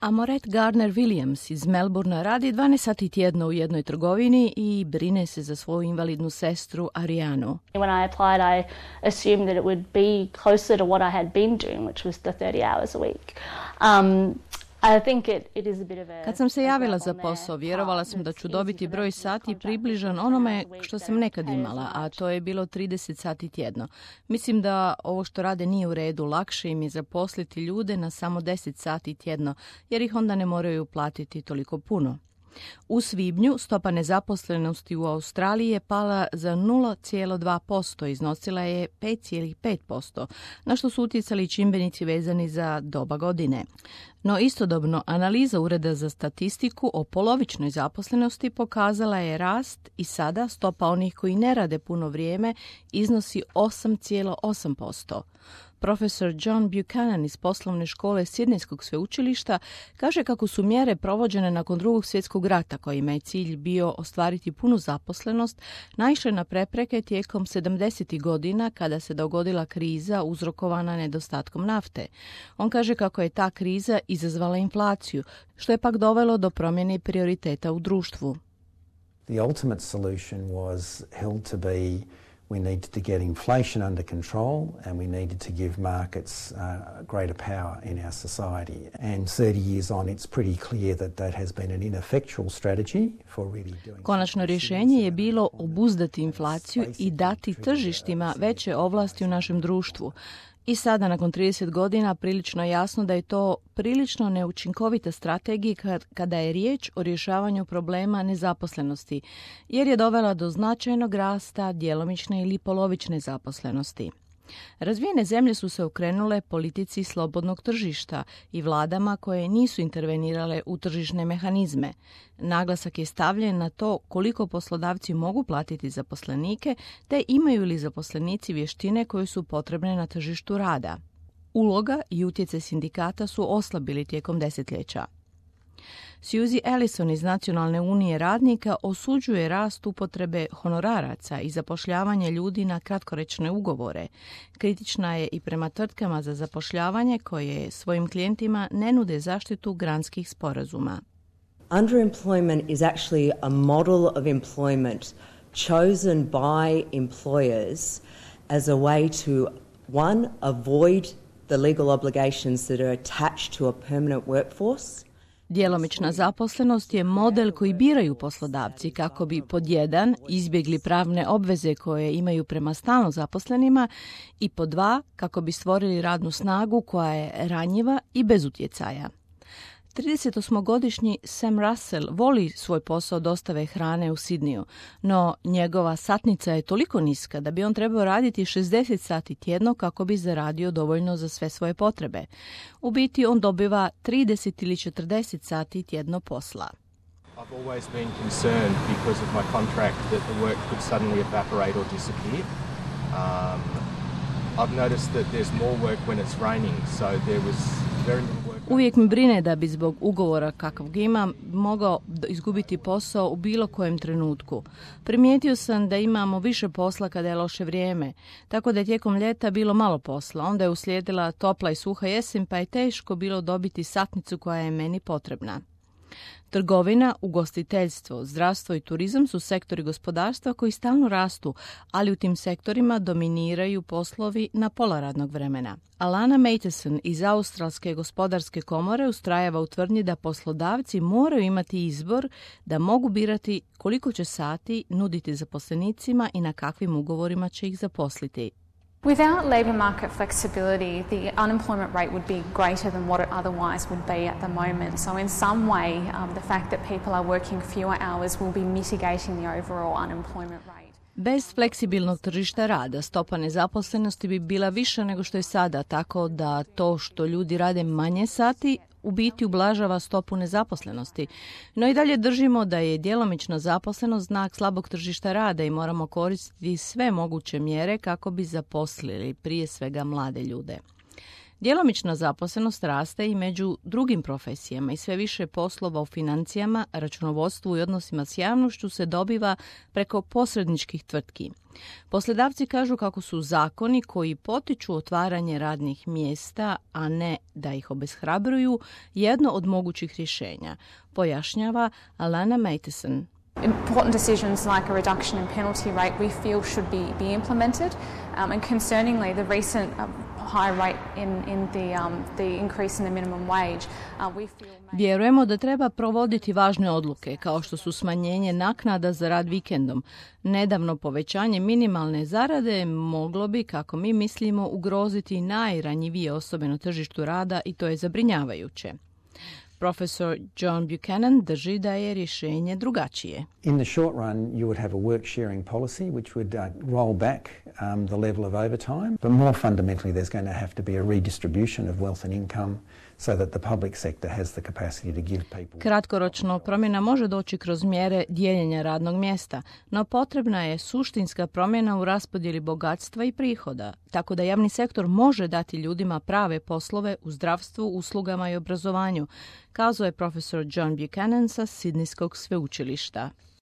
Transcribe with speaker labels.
Speaker 1: Amoret Gardner-Williams iz Melbournea radi 12 sati tjedno u jednoj trgovini i brine se za svoju invalidnu sestru Arianu.
Speaker 2: When I applied, I assumed that it would be closer to what I had been doing, which was the 30 hours a week. I think it is a bit of a...
Speaker 1: Kad sam se javila za posao, vjerovala sam da ću dobiti broj sati približan onome što sam nekad imala, a to je bilo 30 sati tjedno. Mislim da ovo što rade nije u redu, lakše im je zaposliti ljude na samo 10 sati tjedno, jer ih onda ne moraju platiti toliko puno. U svibnju stopa nezaposlenosti u Australiji je pala za 0,2%, iznosila je 5,5%, na što su utjecali čimbenici vezani za doba godine. No istodobno analiza Ureda za statistiku o polovičnoj zaposlenosti pokazala je rast i sada stopa onih koji ne rade puno vrijeme iznosi 8,8%. Profesor John Buchanan iz poslovne škole Sidnejskog sveučilišta kaže kako su mjere provođene nakon Drugog svjetskog rata, kojima je cilj bio ostvariti punu zaposlenost, naišle na prepreke tijekom 70. godina kada se dogodila kriza uzrokovana nedostatkom nafte. On kaže kako je ta kriza izazvala inflaciju, što je pak dovelo do promjene prioriteta u društvu.
Speaker 3: The ultimate solution was held to be we needed to get inflation under control and we needed to give markets greater power in our society. And 30 years on, it's pretty clear that that has been an ineffectual strategy for really doing...
Speaker 1: Konačno rješenje je bilo obuzdati inflaciju i dati tržištima veće ovlasti u našem društvu. I sada, nakon 30 godina, prilično je jasno da je to prilično neučinkovita strategija kada je riječ o rješavanju problema nezaposlenosti, jer je dovela do značajnog rasta djelomične ili polovične zaposlenosti. Razvijene zemlje su se okrenule politici slobodnog tržišta i vladama koje nisu intervenirale u tržišne mehanizme. Naglasak je stavljen na to koliko poslodavci mogu platiti zaposlenike, te imaju li zaposlenici vještine koje su potrebne na tržištu rada. Uloga i utjecaj sindikata su oslabili tijekom desetljeća. Suzy Ellison iz Nacionalne unije radnika osuđuje rast upotrebe honoraraca i zapošljavanje ljudi na kratkoročne ugovore. Kritična je i prema tvrtkama za zapošljavanje koje svojim klijentima ne nude zaštitu granskih sporazuma.
Speaker 4: Underemployment is actually a model of employment chosen by employers as a way to, one, avoid the legal obligations that are attached to a permanent workforce.
Speaker 1: Djelomična zaposlenost je model koji biraju poslodavci kako bi pod 1 izbjegli pravne obveze koje imaju prema stalno zaposlenima i pod 2 kako bi stvorili radnu snagu koja je ranjiva i bez utjecaja. 38-godišnji Sam Russell voli svoj posao dostave hrane u Sidneju, no njegova satnica je toliko niska da bi on trebao raditi 60 sati tjedno kako bi zaradio dovoljno za sve svoje potrebe. U biti on dobiva 30 ili 40 sati tjedno posla.
Speaker 5: I've always been concerned because of my contract that the work could suddenly evaporate or disappear. I've noticed that there's more work when it's raining, so there was very little work.
Speaker 1: Uvijek mi brine da bi zbog ugovora kakvog imam mogao izgubiti posao u bilo kojem trenutku. Primijetio sam da imamo više posla kada je loše vrijeme, tako da je tijekom ljeta bilo malo posla. Onda je uslijedila topla i suha jesen, pa je teško bilo dobiti satnicu koja je meni potrebna. Trgovina, ugostiteljstvo, zdravstvo i turizam su sektori gospodarstva koji stalno rastu, ali u tim sektorima dominiraju poslovi na pola radnog vremena. Alana Matheson iz Australske gospodarske komore ustrajava u tvrdnji da poslodavci moraju imati izbor da mogu birati koliko će sati nuditi zaposlenicima i na kakvim ugovorima će ih zaposliti.
Speaker 6: Without labour market flexibility, the unemployment rate would be greater than what it otherwise would be at the moment. So in some way, the fact that people are working fewer hours will be mitigating the overall unemployment rate.
Speaker 1: Bez fleksibilnog tržišta rada stopa nezaposlenosti bi bila viša nego što je sada, tako da to što ljudi rade manje sati u biti ublažava stopu nezaposlenosti. No i dalje držimo da je djelomična zaposlenost znak slabog tržišta rada i moramo koristiti sve moguće mjere kako bi zaposlili prije svega mlade ljude. Djelomična zaposlenost raste i među drugim profesijama i sve više poslova u financijama, računovodstvu i odnosima s javnošću se dobiva preko posredničkih tvrtki. Poslodavci kažu kako su zakoni koji potiču otvaranje radnih mjesta, a ne da ih obeshrabruju, jedno od mogućih rješenja, pojašnjava Alana Matheson.
Speaker 6: Important decisions like a reduction in penalty rate we feel should be implemented, and concerningly the recent high rate in the increase in the minimum wage, we feel.
Speaker 1: Vjerujemo da treba provoditi važne odluke, kao što su smanjenje naknada za rad vikendom. Nedavno povećanje minimalne zarade moglo bi, kako mi mislimo, ugroziti najranjivije osobe na tržištu rada i to je zabrinjavajuće. Profesor John Buchanan drži da je rješenje drugačije.
Speaker 3: In the short run, you would have a work sharing policy which would roll back the level of overtime. But more fundamentally, there's going to have to be a redistribution of wealth and income so that the public sector has the capacity to give people.
Speaker 1: Kratkoročno promjena može doći kroz mjere dijeljenja radnog mjesta, no potrebna je suštinska promjena u raspodjeli bogatstva i prihoda, tako da javni sektor može dati ljudima prave poslove u zdravstvu, uslugama i obrazovanju, kazao je profesor John Buchanan sa Sidnejskog sveučilišta.